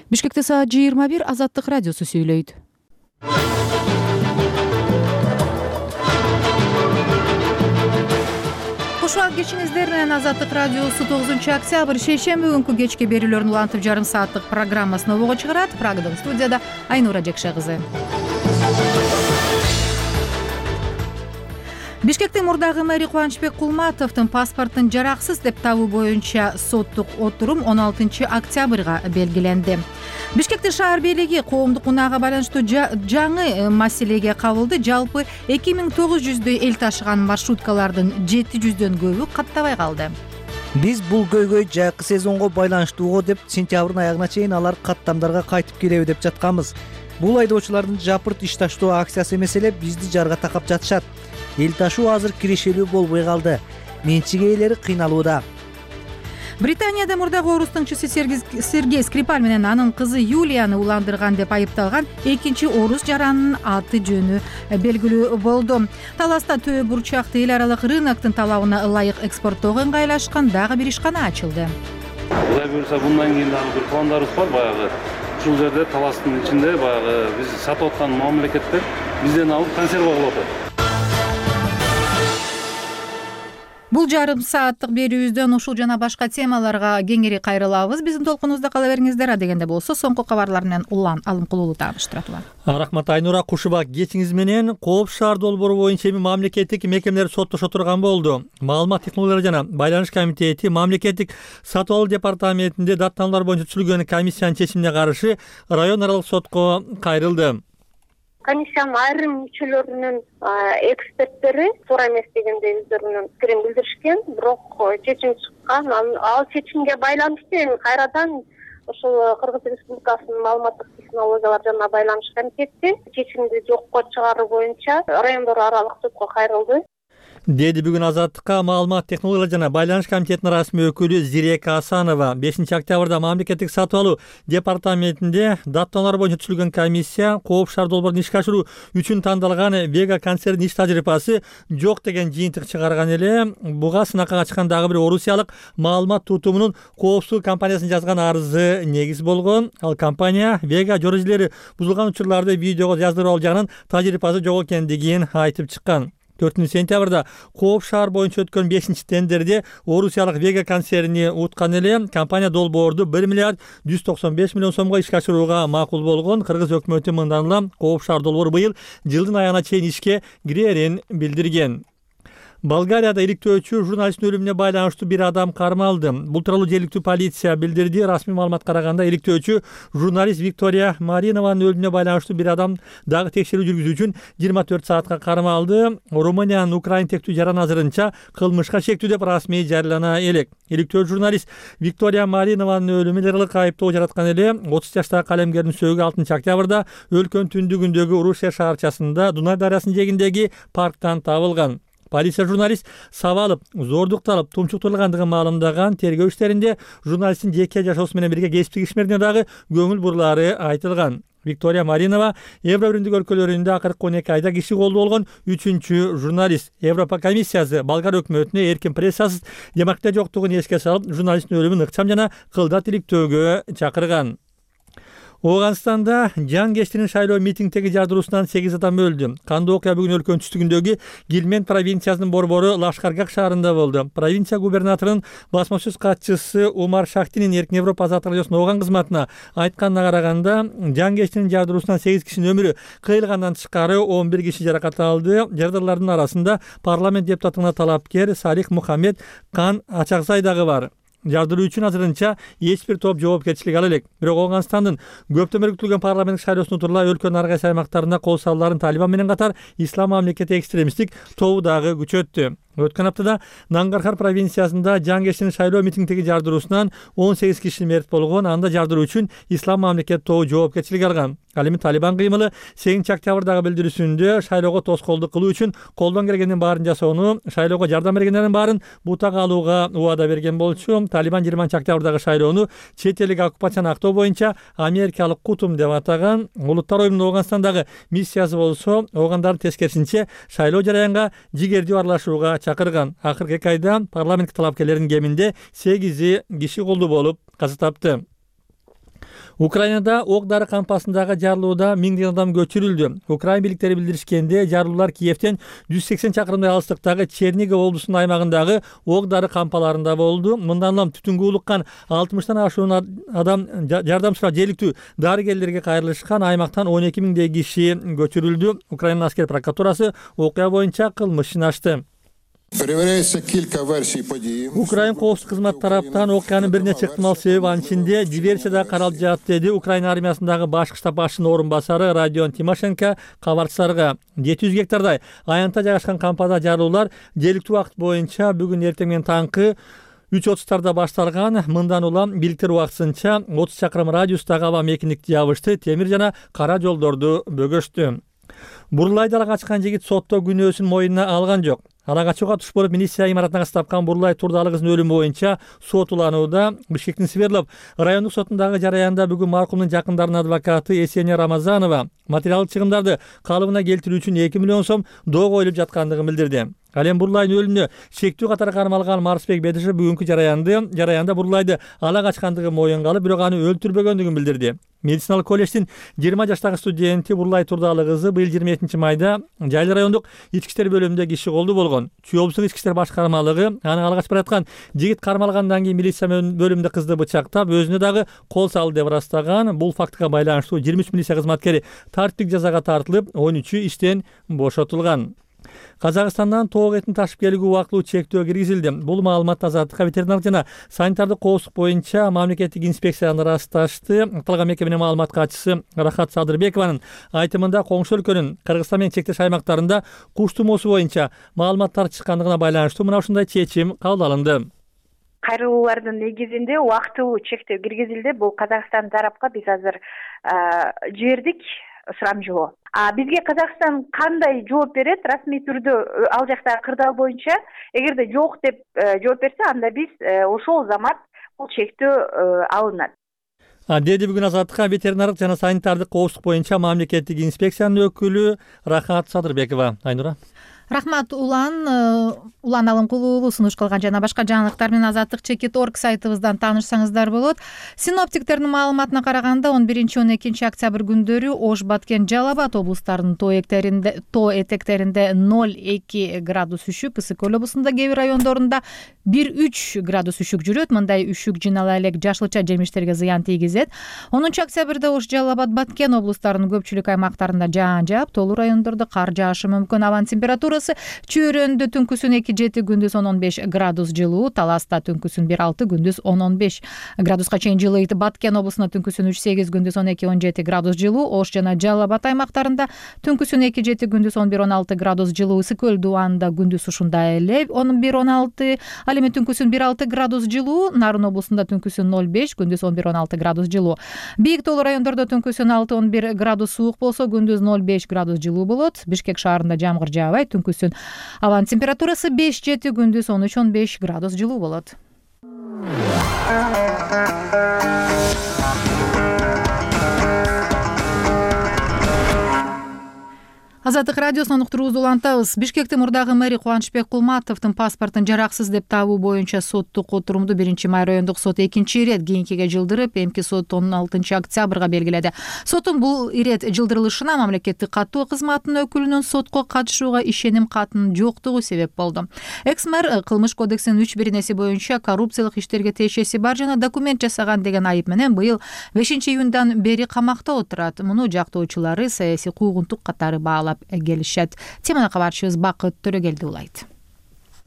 Бишкекте саат 21 Азаттык радиосу сүйлөйт. Кошуак кечиңиздер менен Азаттык радиосу 9-октябрь шейшемби күнкү кечки берүүлөрүн улантып жарым сааттык программасын обого чыгарат. Прагадан студияда Айнура Жекше кызы. Бишкектин мурдагы мэри Кубанычбек Кулматовдун паспортун жараксыз деп табуу боюнча соттук отурум 16 октябрга белгиленди. Бишкектин шаар бийлиги коомдук унаага байланыштуу жаңы маселеге кабылды. Жалпы 2900дөй эл ташыган маршруткалардын 700дөн көбү каттабай калды. Биз бул көйгөй жакшы сезонго байланыштууго деп сентябрдын аягына чейин алар каттамдарга кайтып келеби деп жатканбыз. Бул айдоочулардын жапырт иш таштоо акциясы эмес эле бизди жарга такап жатышат. Эл ташуу азыр кирешелүү болбой калды. Менчик ээлери кыйналууда. Британияда мурдагы орус тыңчысы Сергей Скрипаль менен анын кызы Юлияны уландырган деп айыпталган экинчи орус жаранынын аты жөнү белгилүү болду. Таласта Төө бурчакты эл аралык рыноктун талабына ылайык экспорттоого ыңгайлашкан дагы бир ишкана ачылды. Кудай буюрса мындан кийин дагы бир пландарыбыз бар. Баягы ушул жерде таластын ичинде баягы биз сатып аткан мамлекеттер бизден алып консерва кылып атат. Бул жарым сааттык берүүбүздөн ушул жана башка темаларга кеңири кайрылабыз. Биздин толкунубузда кала бериңиздер. Адегенде болсо соңку кабарлар менен улан Алымкулуулу тааныштыратылат. Рахмат Айнура. Кушубак кечиңиз менен Кооп шаар долбоору боюнча мамлекеттик мекемелер соттошо турган болду. Маалымат технологиялары жана байланыш комитети мамлекеттик сатып алуу департаментинде даттануулар боюнча түзүлгөн комиссиянын чечимине каршы район аралык сотко кайрылды. Комиссиянын айрым мүчөлөрүнүн эксперттери туура эмес дегенде өздөрүнүн пикирин билдиришкен, бирок чечим чыккан. Ал чечимге байланыштуу эми кайрадан ошол Кыргыз Республикасынын маалыматтык технологиялар жана байланыш комитети чечимди жокко чыгаруу боюнча райондор аралык сотко кайрылды. Деди бүгүн Азаттыкка маалымат технологиялар жана байланыш комитетинин расмий өкүлү Зирека Асанова. 5 октябрда мамлекеттик сатып алуу департаментинде даттануулар боюнча түзүлгөн комиссия Кооп шаар долбоорун ишке ашыруу үчүн тандалган Вега концернинин иш тажрыйбасы жок деген жыйынтык чыгарган эле. Буга сынакка качкан дагы бир орусиялык маалымат тутумунун коопсуздук компаниясынын жазган арызы негиз болгон. Ал компания Вега жөрөжөлөрү бузулган учурларды видеого жаздырып алуу жагынан тажрыйбасы жок экендигин айтып чыккан. 4 сентябрда Кооп шаар боюнча өткөн 5-тендерде орусиялык Вега концерни уткан эле. Компания долбоорду 1 миллиард 195 миллион сомго ишке ашырууга макул болгон. Кыргыз өкмөтү мындан улам Кооп шаар долбоору быйыл жылдын аягына чейин ишке кирерин билдирген. Болгарияда иликтөөчү журналисттин өлүмүнө байланыштуу бир адам кармалды. Бул тууралуу жергиликтүү полиция билдирди. Расмий маалыматка караганда иликтөөчү журналист Виктория Маринованын өлүмүнө байланыштуу бир адам дагы текшерүү жүргүзүү үчүн 24 саатка кармалды. Румыниянын Украин тектүү жаран азырынча кылмышка шектүү деп расмий жарыялана элек. Иликтөөчү журналист Виктория Маринованын өлүмүн эл аралык айыптоо жараткан эле. 30 жаштагы калемгердин сөөгү 6 октябрда өлкөнүн түндүгүндөгү Уруше шаарчасында Дунай дарыясынын жээгиндеги парктан табылган. Полиция журналист сабалып, зордукталып, тумчуктурулгандыгын маалымдаган. Тергөө иштеринде журналисттин жеке жашоосу менен бирге кесиптик ишмерине дагы көңүл бурулары айтылган. Виктория Маринова Евро биримдик өлкөлөрүндө акыркы 12 айда киши колдуу болгон 3-чү журналист. Европа комиссиясы болгар өкмөтүнө эркин прессасыз демократия жоктугун эске салып, журналисттин өлүмүн ыкчам жана кылдат иликтөөгө чакырган. Ооганстанда жан кештирин шайлоо митингдеги жардыруусунан 8 адам өлдү. Кандуу окуя бүгүн өлкөнүн түштүгүндөгү Гилмент провинциясынын борбору Лашкаргак шаарында болду. Провинция губернаторунун басма сөз катчысы Умар Шахтинин Эркин Европа Азаттык радиосунун ооган кызматына айтканына караганда, жан кештирин жардыруусунан 8 кишинин өмүрү кыйылгандан тышкары 11 киши жаракат алды. Жардарлардын арасында парламент депутатына талапкер Салих Мухаммед Кан Ачакзай дагы бар. Жардыруу үчүн азырынча эч бир топ жоопкерчилик ала элек. Бирок Ооганстандын көптөм өткөрүлгөн парламенттик шайлоосуна турула өлкөнүн ар кайсы аймактарында кол салууларын Талибан менен катар Ислам мамлекети экстремисттик тобу дагы күчөттү. Өткөн аптада Нангархар провинциясында жан кештирин шайлоо митингдеги жардыруусунан 18 киши мерт болгон. Анда жардыруу үчүн Ислам мамлекети тобу жоопкерчилик алган. Ал эми Талибан кыймылы 8 октябрдагы билдирүүсүндө шайлоого тоскоолдук кылуу үчүн колдон келгендин баарын жасоону, шайлоого жардам бергендердин баарын бутага алууга убада берген болчу. Талибан 20 октябрдагы шайлоону чет элдик оккупацияны актоо боюнча америкалык кутум деп атаган. Улуттар оюнунун Ооганстандагы миссиясы болсо, оогандардын тескерисинче шайлоо жараянга жигердүү аралашууга чакырган. Акыркы 2 айда парламент талапкерлеринин кеминде 8 киши колдуу болуп каза тапты. Украинада ок дары кампасындагы жарылууда миңдеген адам көчүрүлдү. Украин бийликтери билдиришкенде, жарылуулар Киевден 180 чакырымдай алыстыктагы Чернигов облусунун аймагындагы ок дары кампаларында болду. Мындан улам түтүнгө улуккан 60тан ашуун адам жардам сурап жергиликтүү дарыгерлерге кайрылышкан. Аймактан 12 миңдей киши көчүрүлдү. Украина аскер прокуратурасы окуя боюнча кылмыш ишин ачты. Перевіряється кілька версій події. Украин коопсуздук кызматы тараптан окуянын бир нече ыктымал себеби, анын ичинде диверсия да каралып жатат, деди Украина армиясындагы башкы штаб башчынын орун басары Родион Тимошенко кабарчыларга. 700 гектардай аянтта жайгашкан кампада жарылуулар жергиликтүү убакыт боюнча бүгүн эртең менен таңкы 3:30 башталган. Мындан улам бийликтер убактысынча 30 чакырым радиустагы аба мекиндикти жабышты, темир жана кара жолдорду бөгөштү. Бурлайды ала качкан жигит сотто күнөөсүн мойнуна алган жок. Ала качууга туш болуп милиция имаратына тапкан Бурлай Турдалы кызынын өлүмү боюнча сот уланууда. Бишкектин Свердлов райондук сотундагы жараянда бүгүн маркумдун жакындарынын адвокаты Эсения Рамазанова материалдык чыгымдарды калыбына келтирүү үчүн 2 миллион сом доо коюлуп жаткандыгын билдирди. Ал эми Бурлайдын өлүмүнө шектүү катары кармалган Марсбек Бедишев бүгүнкү жараянда Бурлайды ала качкандыгын моюнга алып, бирок аны өлтүрбөгөндүгүн билдирди. Медициналык колледждин 20 жаштагы студенти Бурлай Турдалы кызы быйыл 27 майда Жайлы райондук ички иштер бөлүмүндө иши колду болгон. Чүй облустук ички иштер башкармалыгы аны ала качып бараткан жигит кармалгандан кийин милиция бөлүмүндө кызды бычактап, өзүнө дагы кол салды деп ырастаган. Бул фактыга байланыштуу 23 милиция кызматкери тартиптик жазага тартылып, 13-ü иштен бошотулган. Казакстандан тоок этин ташып келүүгө убактылуу чектөө киргизилди. Бул маалыматты Азаттыкка ветеринардык жана санитардык коопсуздук боюнча мамлекеттик инспекциянын ырасташты. Аталган мекеменин маалымат катчысы Рахат Садырбекованын айтымында коңшу өлкөнүн Кыргызстан менен чектеш аймактарында куш тумоосу боюнча маалыматтар чыккандыгына байланыштуу мына ушундай чечим кабыл алынды. Кайрылуулардын негизинде убактылуу чектөө киргизилди. Бул Казакстан тарапка биз азыр жибердик сурамжылоо. Бизге Казакстан кандай жооп берет? Расмий түрдө ал жактагы кырдаал боюнча эгерде жок деп жооп берсе, анда биз ошол замат бул чектөө алынат. Деди бүгүн Азаттыкка ветеринардык жана санитардык коопсуздук боюнча мамлекеттик инспекциянын өкүлү Рахат Садырбекова. Айнура. Рахмат Улан Алымкулуу сунуш кылган жана башка жаңылыктар менен Азаттык.org сайтыбыздан таанышсаңыздар болот. Синоптиктердин маалыматына караганда 11-12 октябрь күндөрү Ош, Баткен, Жалал Абад облустарынын тоо этектеринде 0-2 градус үшүк, ысык көл облусунда кээ бир райондорунда 1-3 градус үшүк жүрөт. Мындай үшүк жинала элек жашылча жемиштерге зыян тийгизет. 10 октябрда Ош, Жалал Абад, Баткен облустарынын көпчүлүк аймактарында жаан жаап, тоолуу райондордо кар жаашы мүмкүн. Абанын температурасы Чүйрөндө түнкүсүн 2-7, күндүз 10-15 градус жылуу, Таласта түнкүсүн 1-6, күндүз 10-15 градуска чейин жылыйт. Баткен облусунда түнкүсүн 3-8, күндүз 12-17 градус жылуу, Ош жана Жалал Абад аймактарында түнкүсүн 2-7, күндүз 11-16 градус жылуу, ысык көл дубанында күндүз ушундай эле 11-16, ал эми түнкүсүн 1-6 градус жылуу, Нарын облусунда түнкүсүн 0-5, күндүз 11-16 градус жылуу. Бийик тоолуу райондордо түнкүсүн 6-11 градус суук болсо, күндүз 0-5 градус жылуу болот. Бишкек шаарында жамгыр жаабайт, түнкүсүн абанын температурасы 5-7, күндүз 13-15 градус жылуу болот. Азаттык радиосунан уктуруубузду улантабыз. Бишкектин мурдагы мэри Кубанычбек Кулматовдун паспортун жараксыз деп табуу боюнча соттук отурумду 1-май райондук сот экинчи ирет кийинкиге жылдырып, эмки сот 16 октябрга белгиледи. Соттун бул ирет жылдырылышына мамлекеттик каттоо кызматынын өкүлүнүн сотко катышууга ишеним катынын жоктугу себеп болду. Экс-мэр кылмыш кодексинин 3-1 боюнча коррупциялык иштерге тиешеси бар жана документ жасаган деген айып менен быйыл 5-июндан бери камакта отурат. Муну жактоочулары саясий куугунтук катары баалап келишет. Теманы кабарчыбыз Бакыт Төрөгелди улайт.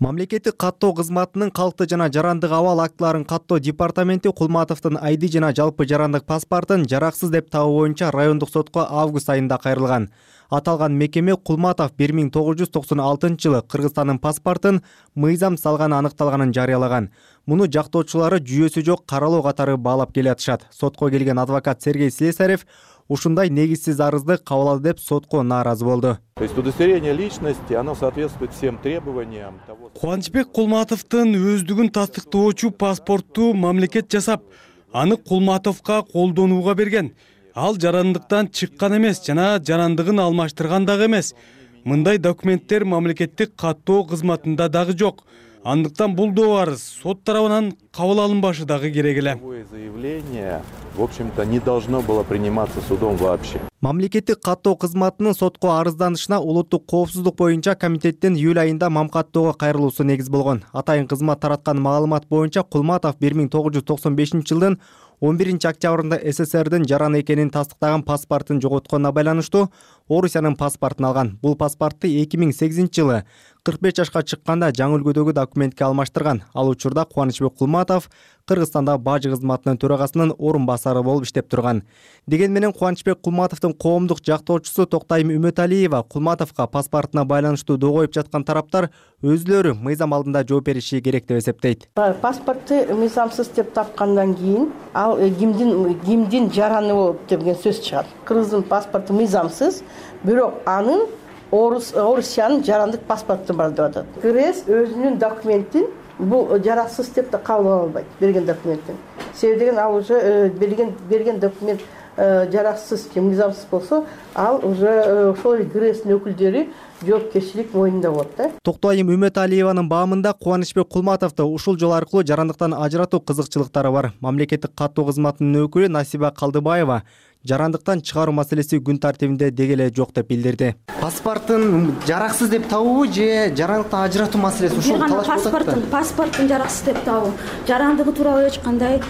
Мамлекеттик каттоо кызматынын калкты жана жарандык абал актыларын каттоо департаменти Кулматовдун ID жана жалпы жарандык паспортун жараксыз деп табуу боюнча райондук сотко август айында кайрылган. Аталган мекеме Кулматов 1996 жылы Кыргызстандын паспортун мыйзам салганы аныкталганын жарыялаган. Муну жактоочулары жүйөсү жок каралоо катары баалап келатышат. Сотко келген адвокат Сергей Слесарев ушундай негизсиз арызды кабыл алды деп сотко нааразы болду. То есть удостоверение личности, оно соответствует всем требованиям того. Кубанычбек Кулматовдун өздүгүн тастыктоочу паспортту мамлекет жасап, аны Кулматовго колдонууга берген. Ал жарандыктан чыккан эмес жана жарандыгын алмаштырган дагы эмес. Мындай документтер мамлекеттик каттоо кызматында дагы жок. андыктан бул да арыз сот тарабынан кабыл алынбашы дагы керек эле. Заявление, в общем-то, не должно было приниматься судом вообще. Мамлекеттик каттоо кызматынын сотко арызданышына улуттук коопсуздук боюнча комитеттин июль айында мамкаттоого кайрылуусу негиз болгон. Атайын кызмат тараткан маалымат боюнча Кулматов 1995-жылдын 11-октябрында СССРдин жаран экенин тастыктаган паспортун жоготконуна байланыштуу Орусиянын паспортун алган. Бул паспортты 2008-жылы 45 жашка чыкканда жаңы үлгүдөгү документке алмаштырган. Ал учурда Кубанычбек Кулматов Кыргызстанда бажы кызматынын төрагасынын орун басары болуп иштеп турган. Деген менен Кубанычбек Кулматовдун коомдук жактоочусу Токтайым Үмөталиева Кулматовго паспортуна байланыштуу доо коюп жаткан тараптар өзүлөрү мыйзам алдында жооп бериши керек деп эсептейт. Паспортты мыйзамсыз деп тапкандан кийин ал кимдин жараны болуп деген сөз чыгат. Кыргыздын паспорту мыйзамсыз, бирок анын Орусиянын жарандык паспорту бар деп атат. КРС өзүнүн документин бул жараксыз деп да кабыл ала албайт, берген документин. Себеби деген ал уже берген документ жараксыз же мыйзамсыз болсо, ал уже ошол КРСтин өкүлдөрү жоопкерчилик мойнунда болот да. Токтайым Үмөталиеванын баамында Кубанычбек Кулматовду ушул жол аркылуу жарандыктан ажыратуу кызыкчылыктары бар. Мамлекеттик каттоо кызматынын өкүлү Насиба Калдыбаева жарандыктан чыгаруу маселеси күн тартибинде деги эле жок деп билдирди. Паспортун жараксыз деп табуу же жарандыктан ажыратуу маселеси ушул талаш болот да? Паспортун жараксыз деп табуу. Жарандыгы тууралуу эч кандай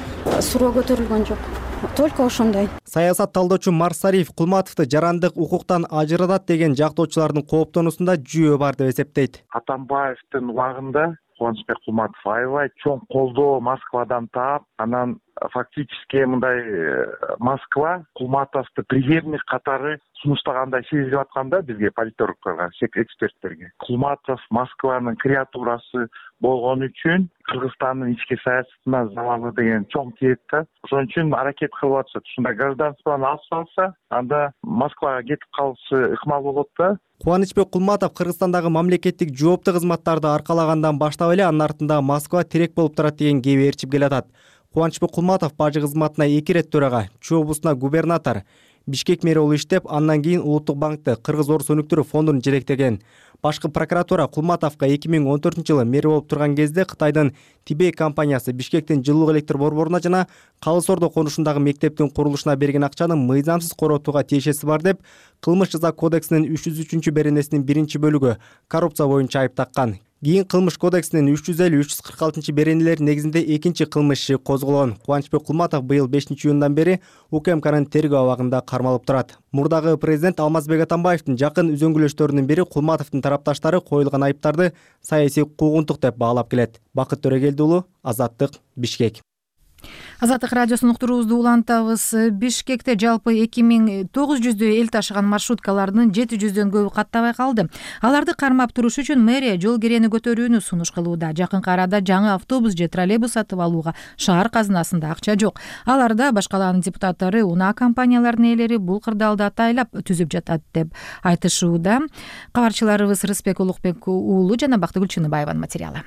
суроо көтөрүлгөн жок. Только ошондой. Саясат талдоочу Марсариф Кулматовду жарандык укуктан ажыратат деген жактоочулардын кооптонуусунда жүйө бар деп эсептейт. Атамбаевдин убагында Кубанычбек Кулматов аябай чоң колдоо Москвадан таап, анан фактически мындай Москва Кулматовду преемник катары сунуштагандай сезилип атканда бизге политологдорго, эксперттерге. Кулматов Москванын креатурасы болгон үчүн Кыргызстандын ички саясатына залалы деген чоң тиет да. Ошон үчүн аракет кылып атышат. Ушундай гражданствону алып салса, анда Москвага кетип калышы ыкмал болот да. Кубанычбек Кулматов Кыргызстандагы мамлекеттик жооптуу кызматтарды аркалагандан баштап эле анын артында Москва терек болуп турат деген кеби ээрчип келатат. Кубанычбек Кулматов бажы кызматына 2 рет төрага, Чүй облусуна губернатор, Бишкек мэри болуп иштеп, андан кийин Улуттук банкты Кыргыз-Орус өнүктүрүү фондун жетектеген. Башкы прокуратура Кулматовго 2014-жылы мэр болуп турган кезде Кытайдын Тибей компаниясы Бишкектин жылуулук электр борборуна жана Калыс Ордо конушундагы мектептин курулушуна берген акчаны мыйзамсыз коротууга тиешеси бар деп, Кылмыш жаза кодексинин 303-беренесинин 1-бөлүгү коррупция боюнча айып таккан. Кийин Кылмыш кодексинин 350-346-беренелери негизинде экинчи кылмыш иши козголгон. Кубанычбек Кулматов быйыл 5-июндан бери УКМКнын тергөө абагында кармалып турат. Мурдагы президент Алмазбек Атамбаевдин жакын үзөңгүлөштөрүнүн бири Кулматовдун тарапташтары коюлган айыптарды саясий куугунтук деп баалап келет. Бакыт Төрөгелди уулу, Азаттык, Бишкек. Азаттык радиосунун уктуруубузду улантабыз. Бишкекте жалпы 2900 эл ташыган маршруткалардын 700дөн көбү каттабай калды. Аларды кармап туруш үчүн мэрия жол кирени көтөрүүнү сунуш кылууда. Жакынкы арада жаңы автобус же троллейбус сатып алууга шаар казынасында акча жок. Аларда башкалардын депутаттары, унаа компанияларынын ээлери бул кырдаалды атайлап түзүп жатат деп айтышууда. Кабарчыларыбыз Рыспек Улукбек уулу жана Бактыгүл Чыныбаеванын материалы.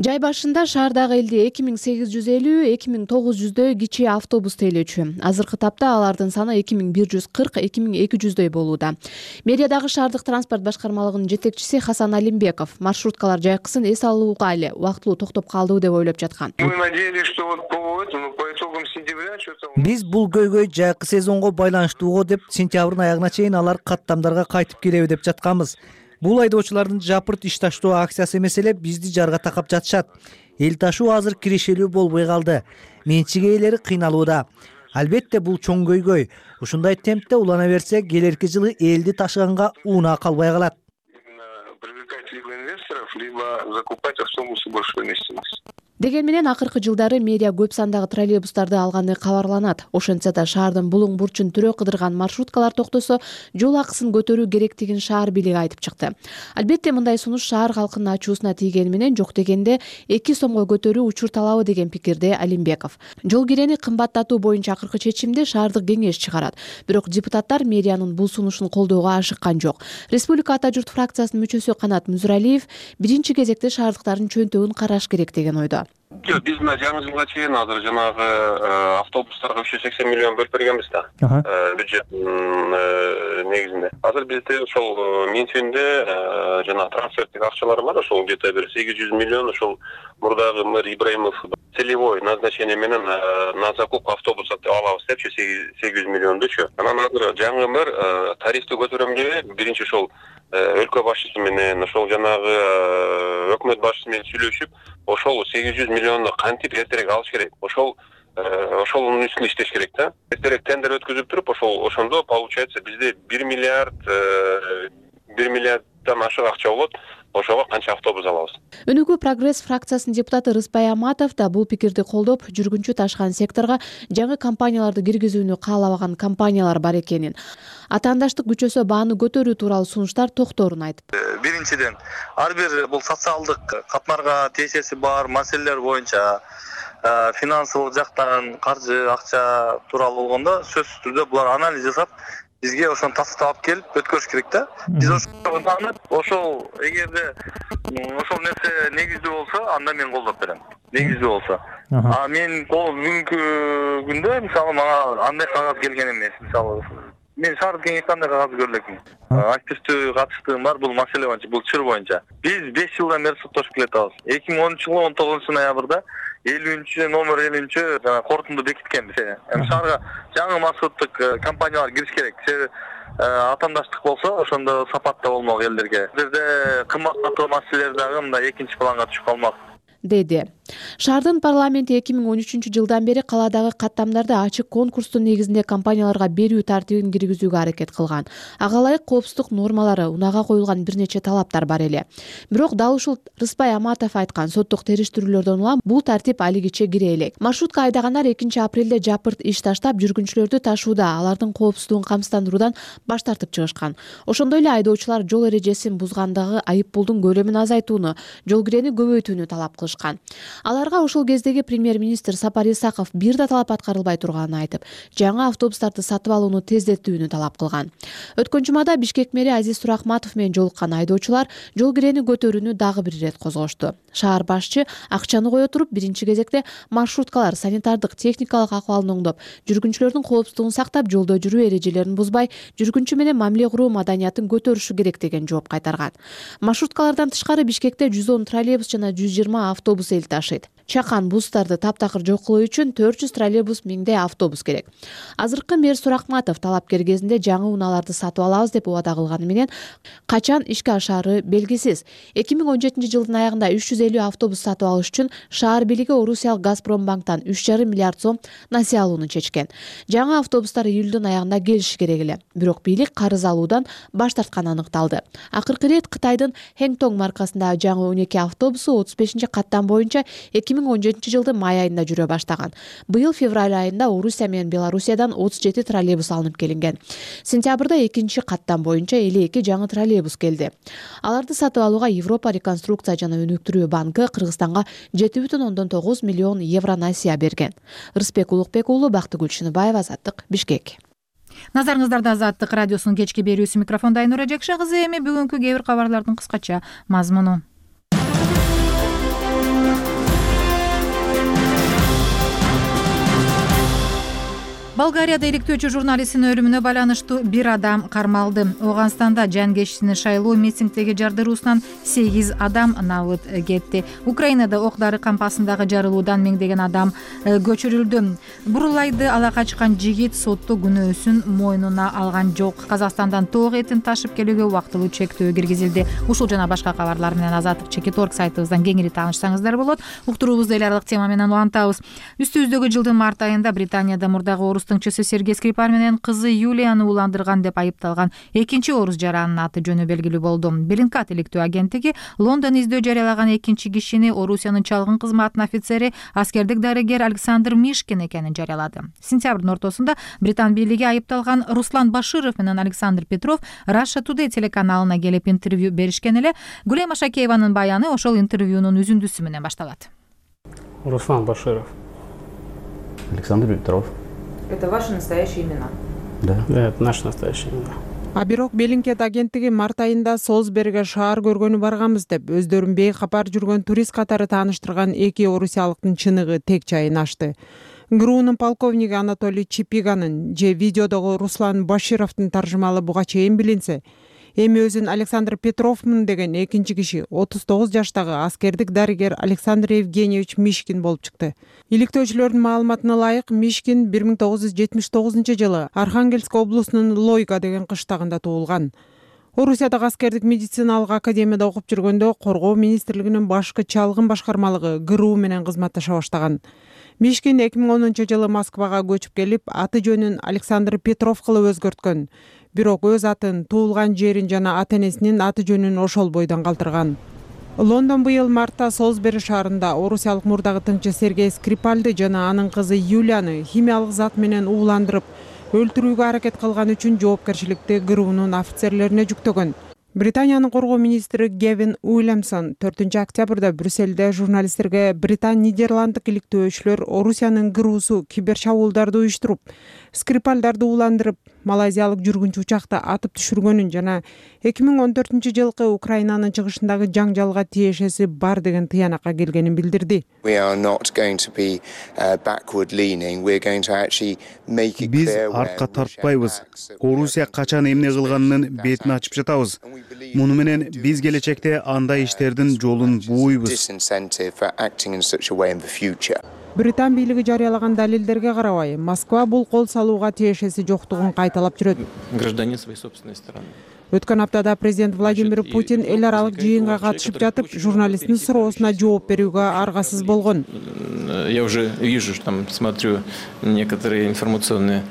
Жай башында шаардагы элде 2850-2900 кичи автобус тейлөөчү. Азыркы тапта алардын саны 2140-2200 болууда. Мэриядагы шаардык транспорт башкармалыгынын жетекчиси Хасан Алимбеков маршруткалар жайкысын эс алууга эле убактылуу токтоп калды деп ойлоп жаткан. Мы надеялись, что вот по итогам сентября что-то. Биз бул көйгөй жайкы сезонго байланыштуу деп сентябрдын аягына чейин алар каттамдарга кайтып келеби деп жатканбыз. Бул айдоочулардын жапырт иш таштоо акциясы эмес эле бизди жарга такап жатышат. Эл ташуу азыр кирешелүү болбой калды. Менчик ээлери кыйналууда. Албетте бул чоң көйгөй. Ушундай темпте улана берсе, келерки жылы элди ташыганга унаа калбай калат. Привлекать либо инвесторов, либо закупать автобусы большой вместимости. Деген менен акыркы жылдары мэрия көп сандагы троллейбустарды алганы кабарланат. Ошентсе да шаардын булуң бурчун түрө кыдырган маршруткалар токтосо, жол акысын көтөрүү керектигин шаар бийлиги айтып чыкты. Албетте мындай сунуш шаар калкынын ачуусуна тийгени менен жок дегенде 2 сомго көтөрүү учур талабы деген пикирде Алимбеков. Жол кирени кымбаттатуу боюнча акыркы чечимди шаардык кеңеш чыгарат. Бирок депутаттар мэриянын бул сунушун колдоого ашыккан жок. Республика Ата журт фракциясынын мүчөсү Канат Мүзүралиев биринчи кезекте шаардыктардын чөнтөгүн караш керек деген ойдо. Жок, биз мына жаңы жылга чейин азыр жанагы автобустарга 380 миллион бөлүп бергенбиз да. Бюджеттин негизинде. Азыр бизде ошол менсиюнде жана трансферттик акчалар бар, ошол где-то бир 800 миллион ошол мурдагы мэр Ибраимов целевой назначение менен на закуп автобуса алабыз депчи 800 миллиондучу. Анан азыр жаңы мэр тарифти көтөрөм деп биринчи ошол өлкө башчысы менен ошол жанагы өкмөт башчысы менен сүйлөшүп, ошол 800 миллионду кантип эртерээк алыш керек. Ошонун үстүнө иштеш керек да. Эртерээк тендер өткүзүп туруп, ошондо получается бизде 1 миллиарддан ашык акча болот. Ошого канча автобус алабыз. Өнүгүү прогресс фракциясынын депутаты Рыспай Аматов да бул пикирди колдоп, жүргүнчү ташкан секторго жаңы компанияларды киргизүүнү каалабаган компаниялар бар экенин, атаандаштык күчөсө бааны көтөрүү тууралуу сунуштар токторун айтып. Биринчиден, ар бир бул социалдык катмарга тиешеси бар маселелер боюнча финансылык жактан каржы, акча тууралуу болгондо сөзсүз түрдө булар анализ жасап, бизге ошону тастап келип өткөрүш керек да. Биз ошол эгерде ошол нерсе негиздүү болсо, анда мен колдоп берем. Негиздүү болсо. Мен бүгүнкү күндө мисалы мага андай кагаз келген эмес. Мисалы мен шаардык кеңеште андай кагаз көрө элекмин. Активдүү катыштыгым бар бул маселе боюнча, бул чыр боюнча. Биз 5 жылдан бери соттошуп келатабыз. 2010-жылы 19-ноябрда 50 номер 50 жана корутунду бекиткенбиз. Шаарга жаңы маршруттук компаниялар кириш керек. Атаандаштык болсо, ошондо сапатта болмок элдерге. Бул жерде кымбаттатуу маселелер дагы мындай экинчи планга түшүп калмак, деди. Шаардын парламенти 2013-жылдан бери каладагы каттамдарды ачык конкурстун негизинде компанияларга берүү тартибин киргизүүгө аракет кылган. Ага ылайык коопсуздук нормалары, унага коюлган бир нече талаптар бар эле. Бирок дал ушул Рыспай Аматов айткан соттук териштирүүлөрдөн улам бул тартип алигиче кире элек. Маршрутка айдагандар 2-апрелде жапырт иш таштап, жүргүнчүлөрдү ташууда алардын коопсуздугун камсыздандыруудан баш тартып чыгышкан. Ошондой эле айдоочулар жол эрежесин бузгандагы айып пулдун көлөмүн азайтууну, жол кирени көбөйтүүнү талап кылышкан. Аларга ошол кездеги премьер-министр Сапар Исаков бир да талап аткарылбай турганын айтып, жаңы автобустарды сатып алууну тездетүүнү талап кылган. Өткөн жумада Бишкек мэри Азиз Турахматов менен жолуккан айдоочулар жол кирени көтөрүүнү дагы бир ирет козгошту. Шаар башчы акчаны кое туруп, биринчи кезекте маршруткалар санитардык, техникалык акыбалын оңдоп, жүргүнчүлөрдүн коопсуздугун сактап, жолдо жүрүү эрежелерин бузбай, жүргүнчү менен мамиле куруу маданиятын көтөрүшү керек деген жооп кайтарган. Маршруткалардан тышкары Бишкекте 110 троллейбус жана 120 автобус эл ташыйт. Чакан бустарды таптакыр жок кылуу үчүн 400 троллейбус, 1000 автобус керек. Азыркы мэр Суракматов талапкер кезинде жаңы унааларды сатып алабыз деп убада кылганы менен качан ишке ашаары белгисиз. 2017-жылдын аягында 350 автобус сатып алыш үчүн шаар бийлиги Орусиялык Газпромбанктан 3,5 миллиард сом насыя алууну чечкен. Жаңы автобустар июлдун аягында келиши керек эле. Бирок бийлик карыз алуудан баш тартканы аныкталды. Акыркы ирет Кытайдын Хэнтонг маркасындагы жаңы 12 автобусу 35-каттам боюнча 2017-жылдын май айында жүрө баштаган. Быйыл февраль айында Орусия менен Белоруссиядан 37 троллейбус алынып келинген. Сентябрда 2-каттам боюнча 52 жаңы троллейбус келди. Аларды сатып алууга Европа реконструкция жана өнүктүрүү банкы Кыргызстанга 7,9 миллион евро насыя берген. Рыспек Улукбек уулу, Бактыгүл Шыныбаева, Азаттык, Бишкек. Назарыңыздарда Азаттык радиосунун кечки берүүсү, микрофонда Айнура Жекше кызы. Эми бүгүнкү кээ бир кабарлардын кыскача мазмуну. Болгарияда иликтөөчү журналисттин өлүмүнө байланыштуу бир адам кармалды. Ооганстанда жан шайлоо митингдеги жардыруусунан 8 адам набыт кетти. Украинада ок-дары кампасындагы жарылуудан миңдеген адам көчүрүлдү. Бурулайды ала качкан жигит сотто күнөөсүн мойнуна алган жок. Казакстандан тоок этин ташып келүүгө убактылуу чектөө киргизилди. Ушул жана башка кабарлар менен Азаттык Чекит.орг сайтыбыздан кеңири таанышсаңыздар болот. Уктуруубузду эл аралык тема менен улантабыз. Үстүбүздөгү жылдын март айында Британияда мурдагы орус тыңчысы Сергей Скрипаль менен кызы Юлияны уландырган деп айыпталган экинчи орус жаранын аты жөнү белгилүү болду. Беллингкат иликтөө агенттиги Лондон издөө жарыялаган экинчи кишини Орусиянын чалгын кызматынын офицери, аскердик дарыгер Александр Мишкин экенин жарыялады. Сентябрдын ортосунда Британ бийлиги айыпталган Руслан Баширов менен Александр Петров Russia Today телеканалына келип интервью беришкен эле. Гулема Шакееванын баяны ошол интервьюнун үзүндүсү менен башталат. Руслан Баширов. Александр Петров. Это ваши настоящие имена? Да. Да, это наши настоящие имена. А бирок Беллингкет агенттиги март айында Солсберге шаар көргөнү барганбыз деп өздөрүн бейкапар жүргөн турист катары тааныштырган эки орусиялыктын чыныгы тек жайын ачты. ГРУнун полковниги Анатолий Чипиганын же видеодогу Руслан Башировдун таржымалы буга чейин билинсе, эми өзүн Александр Петровмун деген экинчи киши 39 жаштагы аскердик дарыгер Александр Евгеньевич Мишкин болуп чыкты. Иликтөөчүлөрдүн маалыматына ылайык, Мишкин 1979 жылы Архангельск облусунун Лойга деген кыштагында туулган. Орусиядагы аскердик медициналык академияда окуп жүргөндө Коргоо министрлигинин башкы чалгын башкармалыгы ГРУ менен кызматташа баштаган. Мишкин 2010 жылы Москвага көчүп келип, аты жөнүн Александр Петров кылып өзгөрткөн. Бирок өз атын, туулган жерин жана ата-энесинин аты жөнүн ошол бойдон калтырган. Лондон быйыл мартта Солсбери шаарында орусиялык мурдагы тыңчы Сергей Скрипальды жана анын кызы Юлияны химиялык зат менен ууландырып, өлтүрүүгө аракет кылган үчүн жоопкерчиликти ГРУнун офицерлерине жүктөгөн. Британиянын коргоо министри Гевин Уильямсон 4 октябрда Брюсселде журналисттерге Британ-Нидерланддык иликтөөчүлөр Орусиянын ГРУсу киберчабуулдарды уюштуруп, Скрипальдарды ууландырып, малайзиялык жүргүнчү учакта атып түшүргөнүн жана 2014 жылкы Украинанын чыгышындагы жаңжалга тиешеси бар деген тыянакка келгенин билдирди. Биз артка тартпайбыз. Орусия качан эмне кылганынын бетин ачып жатабыз. Муну менен биз келечекте андай иштердин жолун бууйбуз. Британ бийлиги жарыялаган далилдерге карабай, Москва бул кол салууга тиешеси жоктугун кайталап жүрөт. Гражданин своей собственной страны. Өткөн аптада президент Владимир Путин эл аралык жыйынга катышып жатып, журналисттин суроосуна жооп берүүгө аргасыз болгон. Я уже вижу, что там смотрю некоторые информационные.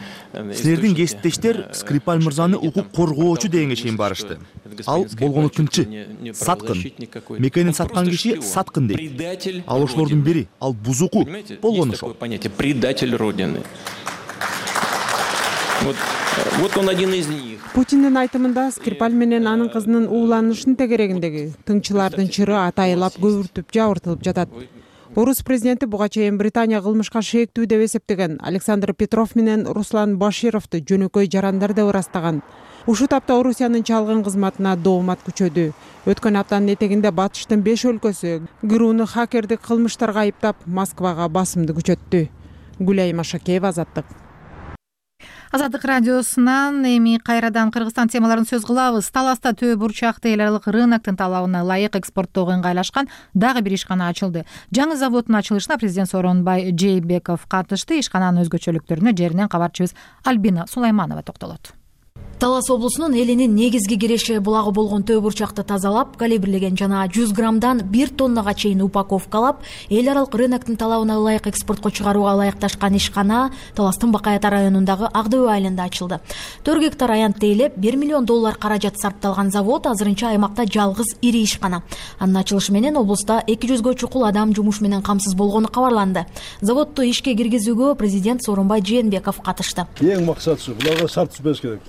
Силердин кесиптештер Скрипаль мырзаны укук коргоочу дегенге чейин барышты. Ал болгону тыңчы, саткын. Мекенин саткан киши саткын дейт. Ал ошолордун бири, ал бузуку болгону ошол. Понятие предатель Родины. Вот он один из них. Путиндин айтымында Скрипаль менен анын кызынын ууланышын тегерегиндеги тыңчылардын чыры атайылап көбүртүп жабыртылып жатат. Орус президенти буга чейин Британия кылмышка шээктүү деп эсептеген Александр Петров менен Руслан Башировду жөнөкөй жарандар деп ырастаган. Ушул тапта Орусиянын чалгын кызматына доомат күчөдү. Өткөн аптанын этегинде Батыштын 5 өлкөсү ГРУну хакердик кылмыштарга айыптап Москвага басымды күчөттү. Гүлайым Ашакеева, Азаттык. Азаттык радиосунан эми кайрадан Кыргызстан темаларын сөз кылабыз. Таласта Төө бурчакты эл аралык рыноктун талабына ылайык экспорттоого ыңгайлашкан дагы бир ишкана ачылды. Жаңы заводдун ачылышына президент Сооронбай Жээнбеков катышты. Ишкананын өзгөчөлүктөрүнө жеринен кабарчыбыз Альбина Сулайманова токтолот. Талас облусунун элинин негизги киреши булагы болгон Төө бурчакты тазалап, калибрлеген жана 100 граммдан 1 тоннага чейин упаковкалап, эл аралык рыноктун талабына ылайык экспортко чыгарууга ылайыкташкан ишкана Таластын Бакаята районундагы Ак Дөбө айылында ачылды. 4 гектар аянт тейлеп, $1 миллион каражат сарпталган завод азырынча аймакта жалгыз ири ишкана. Анын ачылышы менен облуста 200гө чукул адам жумуш менен камсыз болгону кабарланды. Заводду ишке киргизүүгө президент Сооронбай Жээнбеков катышты. Эң максатысы буларга шарт түзбөш керек.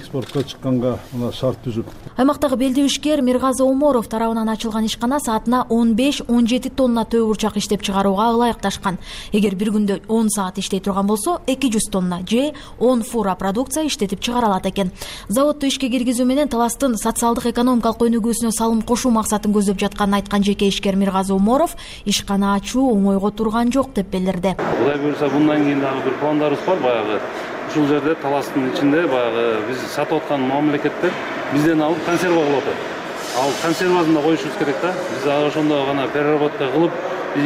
Экспортко чыкканга мына шарт түзүп. Аймактагы белдүү ишкер Миргазы Оморов тарабынан ачылган ишкана саатына 15-17 тонна Төө бурчак иштеп чыгарууга ылайыкташкан. Эгер бир күндө 10 саат иштей турган болсо, 200 тонна же 10 фура продукция иштетип чыгара алат экен. Заводду ишке киргизүү менен Таластын социалдык экономикалык өнүгүүсүнө салым кошуу максатын көздөп жатканын айткан жеке ишкер Миргазы Оморов ишкана ачуу оңойго турган жок деп билдирди. Кудай буюрса, мындан кийин дагы бир пландарыбыз бар. Баягы ушул жерде Таластын ичинде баягы биз сатып аткан мамлекеттер бизден алып консерва кылып атат. Ал консервасын да коюшубуз керек да. Биз ошондо гана переработка кылып,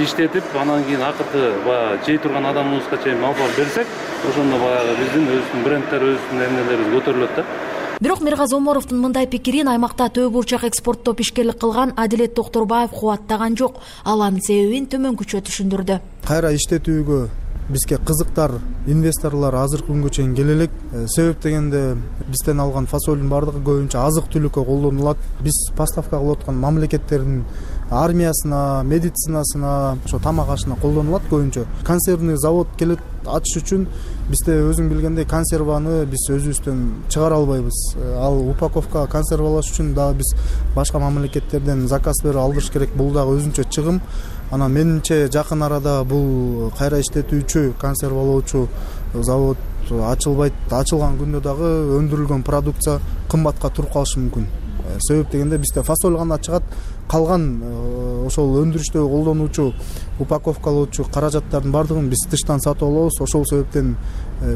иштетип, анан кийин акыркы баягы жей турган адамыбызга чейин алып берсек, ошондо баягы биздин өзүбүздүн брендтер, өзүбүздүн эмнелерибиз көтөрүлөт да. Бирок Миргазы Оморовдун мындай пикирин аймакта Төө бурчак экспорттоп ишкерлик кылган Адилет Токторбаев кубаттаган жок. Ал анын себебин төмөнкүчө түшүндүрдү. Кайра иштетүүгө бизге кызыктар, инвесторлор азыркы күнгө чейин келе элек. Себеп дегенде бизден алган фасолдун бардыгы көбүнчө азык түлүккө колдонулат. Биз поставка кылып аткан мамлекеттердин армиясына, медицинасына, ошо тамак ашына колдонулат көбүнчө. Консервный завод келет ачыш үчүн бизде өзүң билгендей консерваны биз өзүбүздөн чыгара албайбыз. Ал упаковка консервалаш үчүн дагы биз башка мамлекеттерден заказ берип алдырыш керек. Бул дагы өзүнчө чыгым. Анан менимче жакын арада бул кайра иштетүүчү, консервалоочу завод ачылбайт, ачылган күндө дагы өндүрүлгөн продукция кымбатка туруп калышы мүмкүн. Себеп дегенде бизде фасоль гана чыгат, калган ошол өндүрүштө колдонуучу упаковкалоочу каражаттардын баардыгын биз тыштан сатып алабыз. Ошол себептен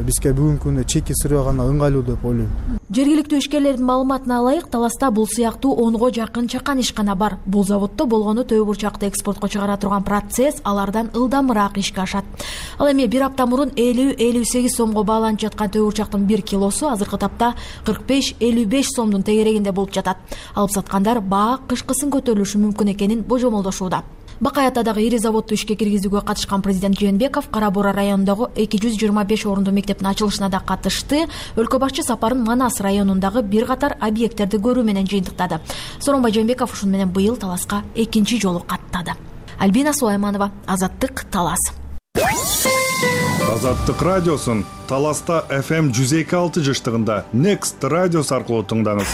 бизге бүгүнкү күндө чеки сырыга гана ыңгайлуу деп ойлойм. Жергиликтүү ишкерлердин маалыматына ылайык, Таласта бул сыяктуу 10го жакын чакан ишкана бар. Бул заводдо болгону төө бурчакты экспортко чыгара турган процесс алардан ылдамыраак ишке ашат. Ал эми бир апта мурун 50-58 сомго бааланып жаткан төө бурчактын 1 килосу азыркы тапта 45-55 сомдун тегерегинде болуп жатат. Алып саткандар баа кышкысын көтөрүлүшү мүмкүн экенин божомолдошууда. Бакай атадагы ири заводду ишке киргизүүгө катышкан президент Жээнбеков Кара Бура районундагы 225 орундуу мектептин ачылышына да катышты. Өлкө башчы сапарын Манас районундагы бир катар объекттерди көрүү менен жыйынтыктады. Сооронбай Жээнбеков ушун менен быйыл Таласка экинчи жолу каттады. Альбина Сулайманова, Азаттык, Талас. Азаттык радиосун Таласта FM 102.6 жыштыгында Next радиосу аркылуу тыңдаңыз.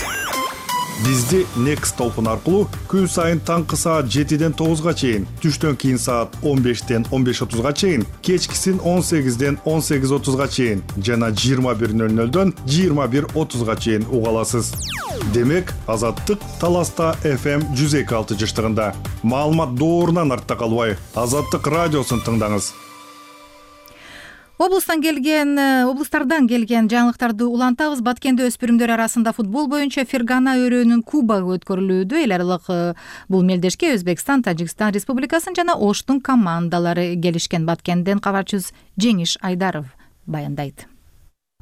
Бизди Next толкун аркылуу күн сайын таңкы саат 7ден 9га чейин, түштөн кийин саат 15ден 15:30га чейин, кечкисин 18ден 18:30га чейин жана 21:00дөн 21:30га чейин уга аласыз. Демек, Азаттык Таласта FM 102.6 жыштыгында. Маалымат доорунан артта калбай, Азаттык радиосун тыңдаңыз. Облустардан келген жаңылыктарды улантабыз. Баткенде өспүрүмдөр арасында футбол боюнча Фергана өрөөнүн кубогу өткөрүлүүдө. Эл аралык бул мелдешке Өзбекстан, Тажикстан Республикасын жана Оштун командалары келишкен. Баткенден кабарчыбыз Жеңиш Айдаров баяндайт.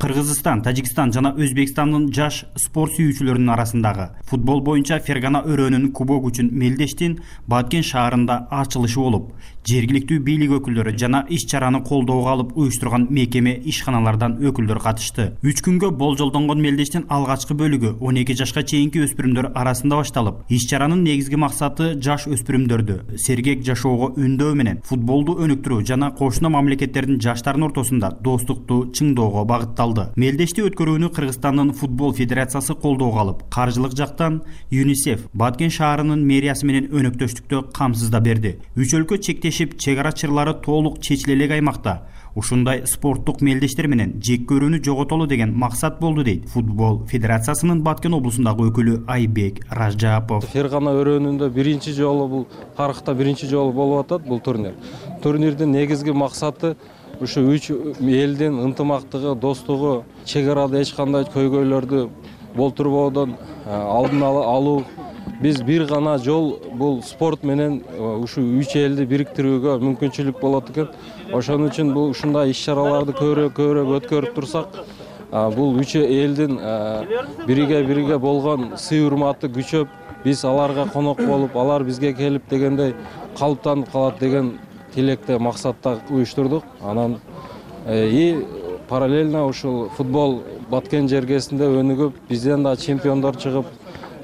Кыргызстан, Тажикстан жана Өзбекстандын жаш спорт сүйүүчүлөрүнүн арасындагы футбол боюнча Фергана өрөөнүн кубогу үчүн Мелдештин Баткен шаарында ачылышы болуп, жергиликтүү бийлик өкүлдөрү жана иш-чараны колдоого алып уюштурган мекеме ишканалардан өкүлдөр катышты. 3 күнгө болжолдонгон Мелдештин алгачкы бөлүгү 12 жашка чейинки өспүрүмдөр арасында башталып, иш-чаранын негизги максаты жаш өспүрүмдөрдү сергек жашоого үндөө менен футболду өнүктүрүү жана кошуна мамлекеттердин жаштарынын ортосунда достукту чыңдоого багытталды. Мелдешти өткөрүүнү Кыргызстандын футбол федерациясы колдоого алып, каржылык жактан ЮНИСЕФ Баткен шаарынын мэриясы менен өнөктөштүктө камсыздап берди. Үч өлкө чектешип, чек ара чырлары толук чечиле элек аймакта ушундай спорттук мелдештер менен жек көрүүнү жоготолу деген максат болду дейт футбол федерациясынын Баткен облусундагы өкүлү Айбек Ражапов. Фергана өрөөнүндө биринчи жолу бул тарыхта биринчи жолу болуп атат бул турнир. Турнирдин негизги максаты ушу үч элдин ынтымактыгы, достугу, чек арада эч кандай көйгөйлөрдү болтурбоодон алдын алуу. Биз бир гана жол бул спорт менен ушу үч элди бириктирүүгө мүмкүнчүлүк болот экен. Ошон үчүн бул ушундай иш-чараларды көбүрөөк өткөрүп турсак, бул үч элдин бириге болгон сый урматы күчөп, биз аларга конок болуп, алар бизге келип дегендей калыптанып калат деген тилекте максатта уюштурдук. Анан параллельно ушул футбол Баткен жергесинде өнүгүп, бизден да чемпиондор чыгып,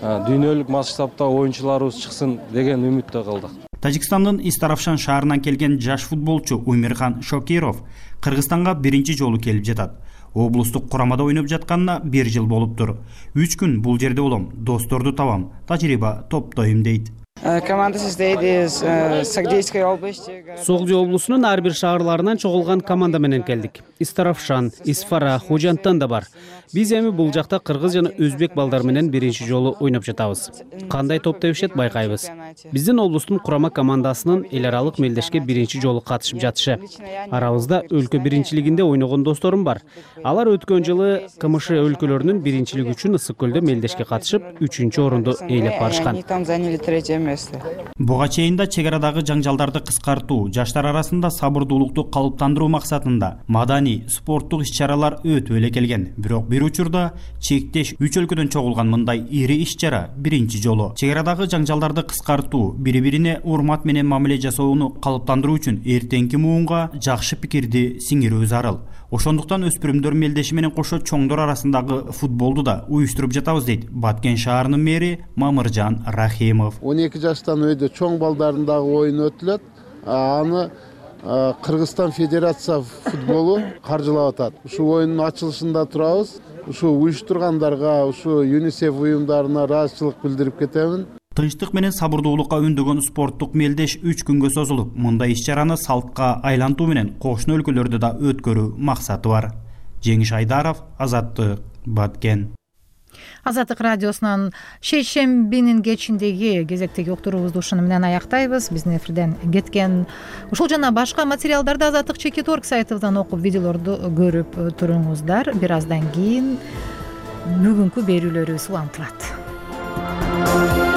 дүйнөлүк масштабта оюнчуларыбыз чыксын деген үмүттө калдык. Тажикстандын Истаравшан шаарынан келген жаш футболчу Умирхан Шокиров Кыргызстанга биринчи жолу келип жатат. Облустук курамада ойноп жатканына 1 жыл болуптур. 3 күн бул жерде болом, досторду табам, тажрыйба топтойм дейт. Командасы издейт Сагдейской области. Согдий облусунун ар бир шаарларынан чогулган команда менен келдик. Истаравшан, Исфара, Хожантан да бар. Биз эми бул жакта кыргыз жана өзбек балдар менен биринчи жолу ойноп жатабыз. Кандай топ тебишет байкайбыз. Биздин облустун курама командасынын эл аралык мелдешке биринчи жолу катышып жатышы. Арабызда өлкө биринчилигинде ойногон досторум бар. Алар өткөн жылы КМШ өлкөлөрүнүн биринчилиги үчүн Ысык көлдө мелдешке катышып, 3-чү орунду ээлеп барышкан. Буга чейин да чек арадагы жаңжалдарды кыскартуу, жаштар арасында сабырдуулукту калыптандыруу максатында маданий, спорттук иш-чаралар өтүп эле келген. Бирок бир учурда чектеш 3 өлкөдөн чогулган мындай ири иш-чара биринчи жолу. Чек арадагы жаңжалдарды кыскартуу, бири-бирине урмат менен мамиле жасоону калыптандыруу үчүн эртеңки муунга жакшы пикирди сиңирүү зарыл. Ошондуктан өспүрүмдөр мелдеши менен кошо чоңдор арасындагы футболду да уюштуруп жатабыз дейт Баткен шаарынын мэри Мамыржан Рахимов. 12 жаштан өйдө чоң балдардын дагы оюну өтүлөт. Аны Кыргызстан Федерация футболу каржылап атат. Ушу оюндун ачылышында турабыз. Ушу уюштургандарга, ушу ЮНИСЕФ уюмдарына ыраазычылык билдирип кетемин. Тынчтык менен сабырдуулукка үндөгөн спорттук мелдеш 3 күнгө созулуп, мындай иш-чараны салтка айлантуу менен кошуна өлкөлөрдө да өткөрүү максаты бар. Жеңиш Айдаров, Азаттык, Баткен. Азаттык радиосунан шейшембинин кечиндеги кезектеги уктуруубузду ушуну менен аяктайбыз. Биздин эфирден кеткен ушул жана башка материалдарды Азаттык.org сайтыбыздан окуп, видеолорду көрүп туруңуздар. Бир аздан кийин бүгүнкү берүүлөрүбүз улантылат.